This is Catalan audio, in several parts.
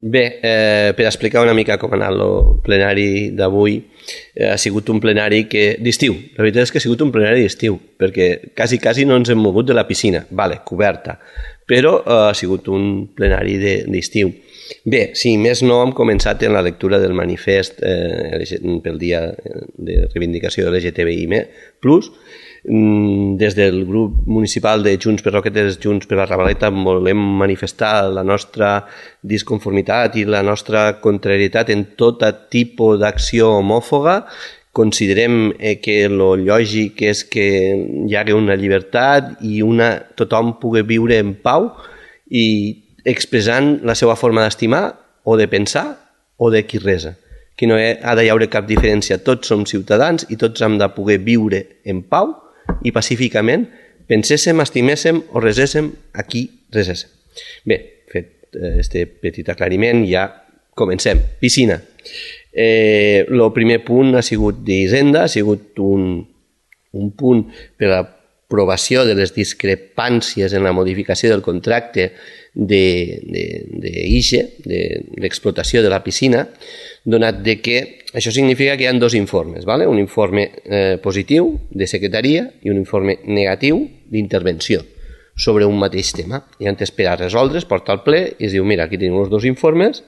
Bé, per explicar una mica com ha anat el plenari d'avui, ha sigut un plenari d'estiu. La veritat és que ha sigut un plenari d'estiu, perquè quasi no ens hem mogut de la piscina, coberta, però ha sigut un plenari d'estiu. Bé, si més no, hem començat en la lectura del manifest pel dia de reivindicació de l'LGTBI+, des del grup municipal de Junts per Roquetes, Junts per la Ravaleta, volem manifestar la nostra disconformitat i la nostra contrarietat en tot tipus d'acció homòfoba. Considerem que el lògic és que hi hagi una llibertat i tothom pugui viure en pau i expressant la seva forma d'estimar o de pensar o de qui resa. Que no ha d'haver cap diferència. Tots som ciutadans i tots hem de poder viure en pau i pacíficament penséssim, estiméssim o reséssim a qui reséssim. Bé, fet aquest petit aclariment, ja comencem. Piscina. El primer punt ha sigut d'Hisenda, ha sigut un punt per a l'aprovació de les discrepàncies en la modificació del contracte d'IGE, de l'explotació de la piscina, donat que això significa que hi ha dos informes, un informe positiu de secretaria i un informe negatiu d'intervenció sobre un mateix tema. I antes per a resoldre's, porta al ple i es diu, mira, aquí tenim els dos informes,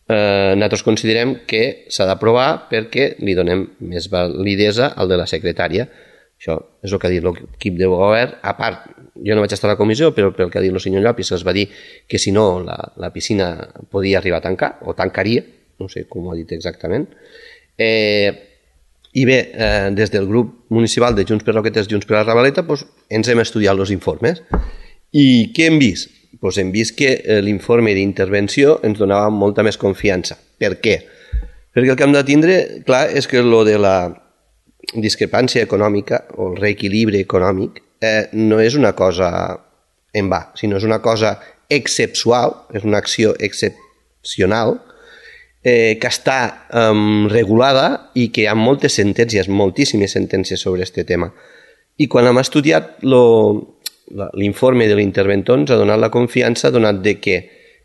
nosaltres considerem que s'ha d'aprovar perquè li donem més validesa al de la secretària. Això és el que ha dit l'equip de govern. A part, jo no vaig estar a la comissió, però pel que ha dit el senyor Llopis es va dir que si no la piscina podia arribar a tancar, o tancaria, no sé com ho ha dit exactament. I bé, des del grup municipal de Junts per Roquetes, Junts per la Ravaleta, ens hem estudiat els informes. I què hem vist? Hem vist que l'informe d'intervenció ens donava molta més confiança. Per què? Perquè el que hem de tindre clar és que el de la discrepància econòmica o el reequilibri econòmic no és una cosa en va, sinó és una cosa excepcional, és una acció excepcional que està regulada i que hi ha moltes sentències, moltíssimes sentències sobre aquest tema. I quan hem estudiat l'informe de l'interventor ens ha donat la confiança donat que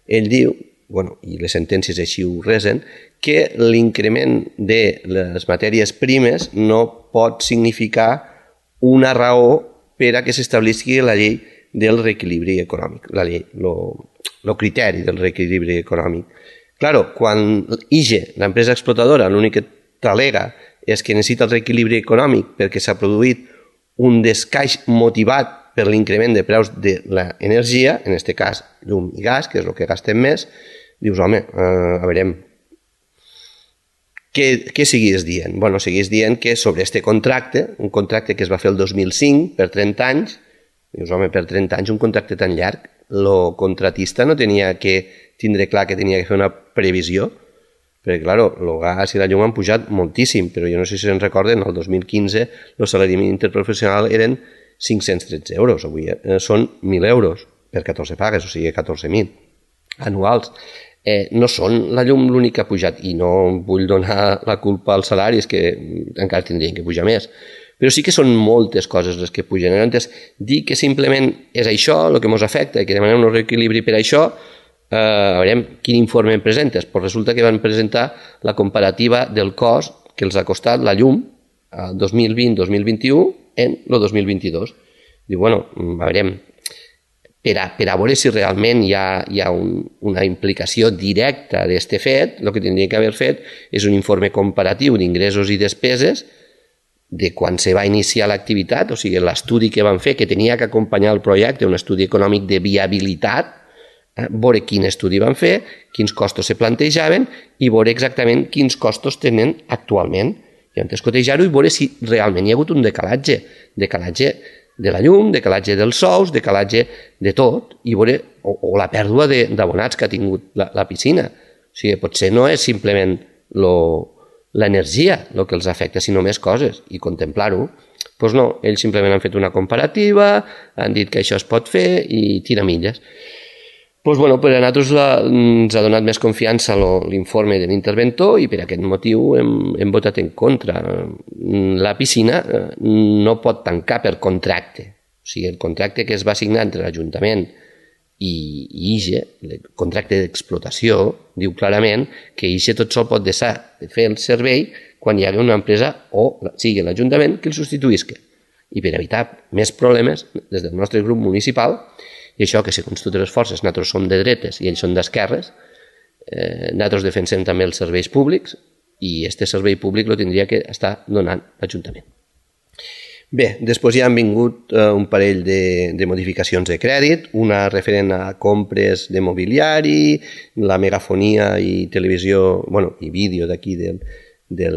ell diu, i les sentències així ho resen, que l'increment de les matèries primes no pot significar una raó per a que s'establisqui la llei del reequilibri econòmic, el criteri del reequilibri econòmic. Claro, quan IGE, l'empresa explotadora, l'únic que t'al·lega és que necessita el reequilibri econòmic perquè s'ha produït un descaix motivat per l'increment de preus de l'energia, en aquest cas llum i gas, que és el que gastem més, dius, home, a veure, què seguís dient? Seguís dient que sobre aquest contracte, un contracte que es va fer el 2005 per 30 anys, dius, home, per 30 anys un contracte tan llarg, el contratista no tenia que tindre clar que tenia que fer una previsió, perquè, clar, el gas i la llum han pujat moltíssim, però jo no sé si se'n recorden, el 2015 el salari mínim interprofessional eren 513 euros, avui són 1.000 euros per 14 pagues, o sigui 14.000 anuals. No són la llum l'únic que ha pujat, i no vull donar la culpa als salaris, que encara tindrien que pujar més, però sí que són moltes coses les que pugen. Llavors, dir que simplement és això el que ens afecta i que demanem un reequilibri per això, a veure quin informe em presentes. Però resulta que van presentar la comparativa del cost que els ha costat la llum el 2020-2021 en el 2022. Diu, a veure, per a veure si realment hi ha una implicació directa d'aquest fet, el que tindria que haver fet és un informe comparatiu d'ingressos i despeses de quan se va iniciar l'activitat, o sigui, l'estudi que van fer, que tenia que acompanyar el projecte, un estudi econòmic de viabilitat, veure quin estudi van fer, quins costos se plantejaven i veure exactament quins costos tenen actualment. I llavors cotejar-ho i veure si realment hi ha hagut un decalatge de la llum, decalatge dels sous, decalatge de tot, i veure, o la pèrdua d'abonats que ha tingut la piscina. O sigui, potser no és simplement l'energia el que els afecta, sinó més coses, i contemplar-ho. Doncs no, ells simplement han fet una comparativa, han dit que això es pot fer i tira milles. Doncs per a nosaltres ens ha donat més confiança l'informe de l'interventor i per aquest motiu hem votat en contra. La piscina no pot tancar per contracte. O sigui, el contracte que es va signar entre l'Ajuntament I IGE, el contracte d'explotació, diu clarament que IGE tot sol pot deixar de fer el servei quan hi hagi una empresa o sigui l'Ajuntament que el substituïsca. I per evitar més problemes, des del nostre grup municipal, i això que segons totes les forces nosaltres som de dretes i ells són d'esquerres, nosaltres defensem també els serveis públics i aquest servei públic el tindria que estar donant l'Ajuntament. Bé, després ja han vingut un parell de modificacions de crèdit, una referent a compres de mobiliari, la megafonia i televisió, i vídeo d'aquí de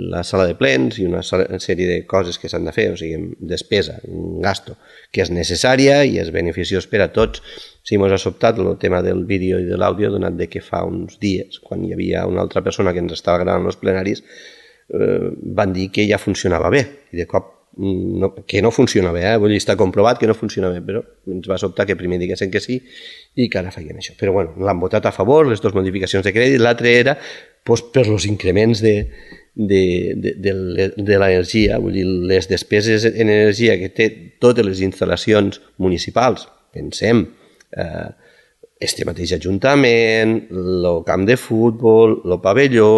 la sala de plens i una sèrie de coses que s'han de fer, o sigui, despesa, un gasto, que és necessària i és beneficiós per a tots. Si ens ha sobtat el tema del vídeo i de l'àudio, donat de que fa uns dies, quan hi havia una altra persona que ens estava gravant els plenaris, van dir que ja funcionava bé, i de cop que no funciona bé, vull dir, està comprovat que no funciona bé, però ens va sobtar que primer diguessin que sí i que ara feien això. Però bueno, l'han votat a favor, les dues modificacions de crèdit, l'altre era per els increments de l'energia, vull dir, les despeses en energia que té totes les instal·lacions municipals, pensem, este mateix ajuntament, el camp de futbol, el pavelló,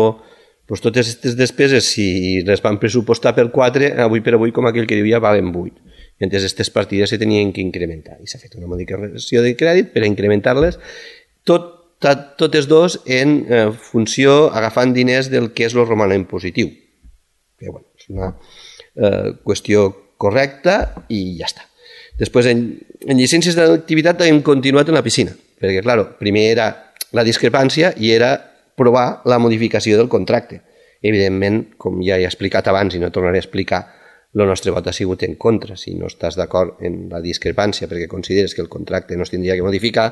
totes aquestes despeses, si les van pressupostar per 4, avui per avui, com aquell que diu, ja valen 8. Mentre aquestes partides se tenien que incrementar. I s'ha fet una modificació de crèdit per a incrementar-les, totes dos en funció, agafant diners del que és el romanent positiu. Que, és una qüestió correcta i ja està. Després, en llicències d'activitat hem continuat en la piscina, perquè, clar, primer era la discrepància i era provar la modificació del contracte. Evidentment, com ja he explicat abans i no tornaré a explicar, el nostre vot ha sigut en contra. Si no estàs d'acord en la discrepància perquè consideres que el contracte no es tindria que modificar,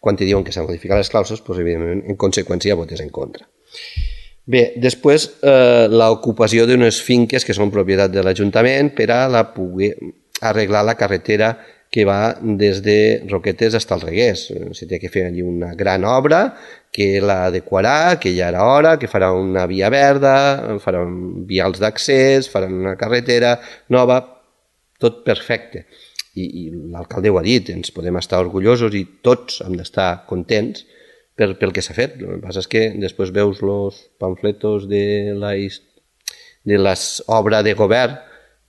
quan te diuen que s'han modificat les clàusules, doncs, evidentment, en conseqüència, votes en contra. Bé, després, l'ocupació d'unes finques que són propietat de l'Ajuntament per a poder arreglar la carretera que va des de Roquetes fins al Reguers. Se té que fer allí una gran obra que l'adequarà, que ja era hora, que farà una via verda, farà vials d'accés, farà una carretera nova, tot perfecte. I l'alcalde ho ha dit, ens podem estar orgullosos i tots hem d'estar contents pel que s'ha fet. El que passa és que després veus els pamfletos de l'obra de govern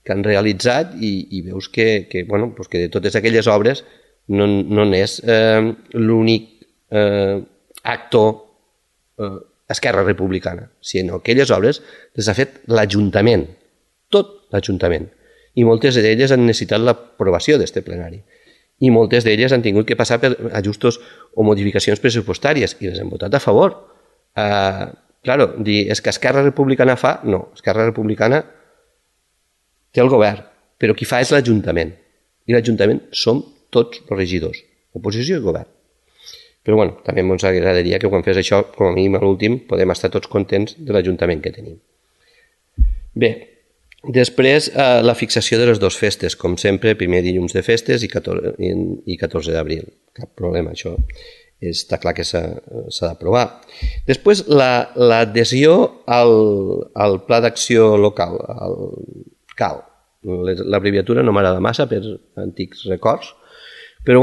que han realitzat i veus que de totes aquelles obres no n'és l'únic actor Esquerra Republicana, sinó que aquelles obres les ha fet l'Ajuntament, tot l'Ajuntament, i moltes d'elles han necessitat l'aprovació d'aquest plenari. I moltes d'elles han tingut que passar per ajustos o modificacions pressupostàries i les han votat a favor. Claro, dir, és que Esquerra Republicana fa? No, Esquerra Republicana té el govern, però qui fa és l'Ajuntament. I l'Ajuntament som tots els regidors, oposició i govern. Però també ens agradaria que quan fes això, com a mínim a l'últim, podem estar tots contents de l'Ajuntament que tenim. Bé, després la fixació de les dues festes, com sempre, primer dilluns de festes i 14 d'abril. Cap problema, això està clar que s'ha d'aprovar. Després, l'adhesió al Pla d'Acció Local, al CAL. L'abreviatura no m'agrada massa per antics records, però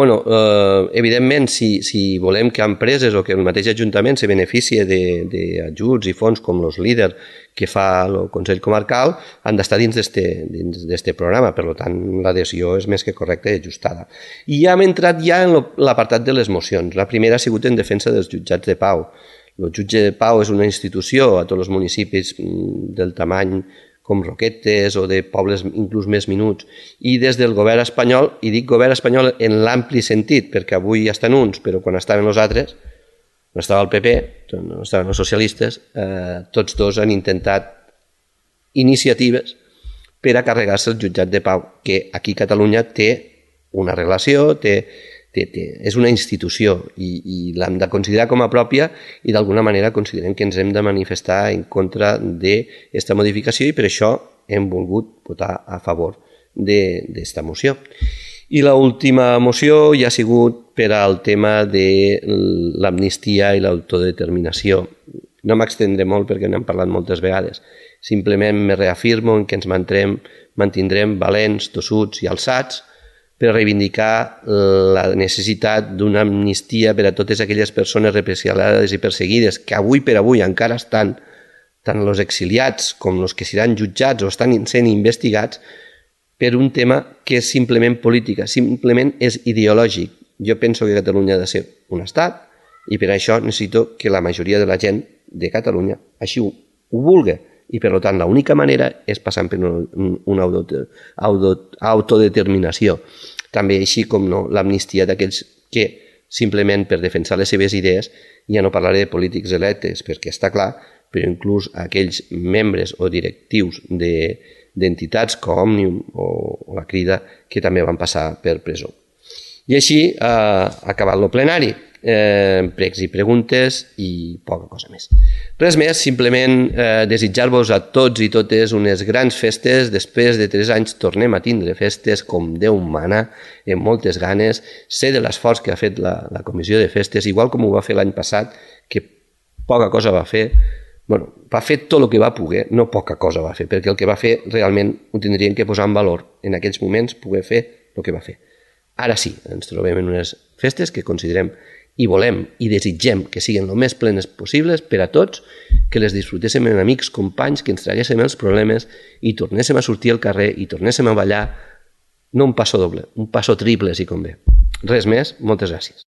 evidentment si volem que empreses o que el mateix Ajuntament se beneficie d'ajuts i fons com els líders que fa el Consell Comarcal, han d'estar dins d'aquest programa, per tant l'adhesió és més que correcta i ajustada. I ja hem entrat en l'apartat de les mocions. La primera ha sigut en defensa dels jutjats de pau. El jutge de pau és una institució a tots els municipis del tamany com Roquetes o de pobles inclús més minuts, i des del govern espanyol, i dic govern espanyol en l'ampli sentit, perquè avui ja estan uns, però quan estaven els altres, no estava el PP, no estaven els socialistes, tots dos han intentat iniciatives per a carregar-se el jutjat de pau, que aquí a Catalunya té una relació, és una institució i l'hem de considerar com a pròpia i d'alguna manera considerem que ens hem de manifestar en contra d'aquesta modificació i per això hem volgut votar a favor d'aquesta moció. I l'última moció ja ha sigut per al tema de l'amnistia i l'autodeterminació. No m'extendré molt perquè n'hem parlat moltes vegades. Simplement me reafirmo en que ens mantindrem valents, tossuts i alçats per reivindicar la necessitat d'una amnistia per a totes aquelles persones represaliades i perseguides que avui per avui encara estan, tant els exiliats com els que seran jutjats o estan sent investigats per un tema que és simplement política, simplement és ideològic. Jo penso que Catalunya ha de ser un estat i per això necessito que la majoria de la gent de Catalunya així ho vulgui. I, per tant, l'única manera és passant per una autodeterminació. També així com no, l'amnistia d'aquells que simplement per defensar les seves idees, ja no parlaré de polítics electes, perquè està clar, però inclús aquells membres o directius d'entitats com Òmnium o la Crida que també van passar per presó. I així ha acabat el plenari. Pregs i preguntes i poca cosa més. Res més, simplement desitjar-vos a tots i totes unes grans festes. Després de 3 anys tornem a tindre festes com Déu mana, amb moltes ganes. Sé de l'esforç que ha fet la comissió de festes, igual com ho va fer l'any passat, que poca cosa va fer. Bueno, va fer tot el que va poder, no poca cosa va fer, perquè el que va fer realment ho tindrien que posar en valor en aquells moments, poder fer el que va fer. Ara sí, ens trobem en unes festes que considerem i volem i desitgem que siguin el més plenes possibles per a tots, que les disfrutéssim amb amics, companys, que ens traguéssim els problemes i tornéssim a sortir al carrer i tornéssim a ballar, no un passo doble, un passo triple si convé. Res més, moltes gràcies.